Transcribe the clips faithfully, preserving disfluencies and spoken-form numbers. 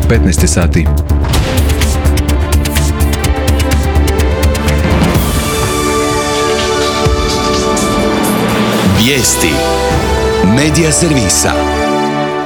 petnaest sati. Vijesti Medija servisa.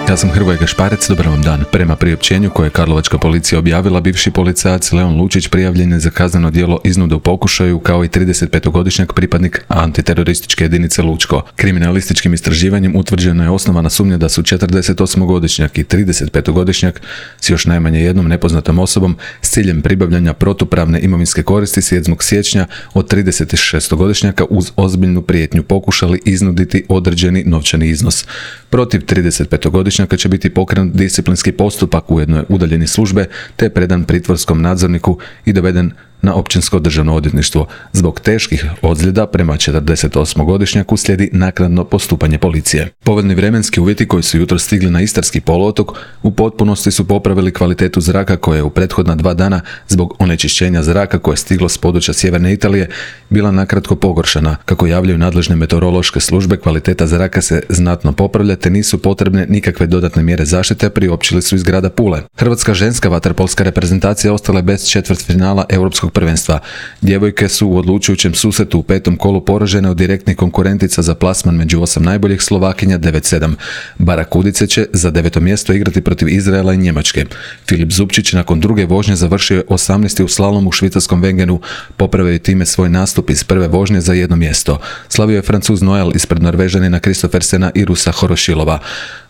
Ja sam Hrvoje Gašparec, dobar vam dan. Prema priopćenju koje je karlovačka policija objavila, bivši policajac Leon Lučić prijavljen je za kazneno djelo iznude u pokušaju, kao i tridesetpetogodišnjak pripadnik antiterorističke jedinice Lučko. Kriminalističkim istraživanjem utvrđena je osnovana sumnja da su četrdesetosmogodišnjak i tridesetpetogodišnjak s još najmanje jednom nepoznatom osobom s ciljem pribavljanja protupravne imovinske koristi sedmog siječnja od tridesetšestogodišnjaka uz ozbiljnu prijetnju pokušali iznuditi određeni novčani iznos. Protiv tridesetpetogodišnjaka će biti pokrenut disciplinski postupak, ujedno je udaljen iz službe te predan pritvorskom nadzorniku i doveden na općinsko državno odvjetništvo. Zbog teških ozljeda prema četrdesetosmogodišnjaku slijedi naknadno postupanje policije. Povoljni vremenski uvjeti koji su jutro stigli na Istarski poluotok u potpunosti su popravili kvalitetu zraka koja je u prethodna dva dana zbog onečišćenja zraka koje je stiglo s područja sjeverne Italije bila nakratko pogoršana. Kako javljaju nadležne meteorološke službe, kvaliteta zraka se znatno popravlja te nisu potrebne nikakve dodatne mjere zaštite, priopćili su iz grada Pule. Hrvatska ženska vaterpolska reprezentacija ostala je bez četvrtfinala europskog prvenstva. Djevojke su u odlučujućem susretu u petom kolu poražene od direktnih konkurentica za plasman među osam najboljih Slovakinja devet sedam. Barakudice će za deveto mjesto igrati protiv Izraela i Njemačke. Filip Zupčić nakon druge vožnje završio je osamnaesti u slalomu u švicarskom Wengenu, popravio je time svoj nastup iz prve vožnje za jedno mjesto. Slavio je Francuz Noel ispred Norvežanina Kristofersena i Rusa Horošilova.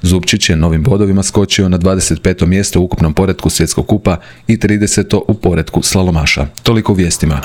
Zupčić je novim bodovima skočio na dvadeset peto mjesto u ukupnom poretku svjetskog kupa i trideseto u poretku slalomaša. Toliko u vijestima.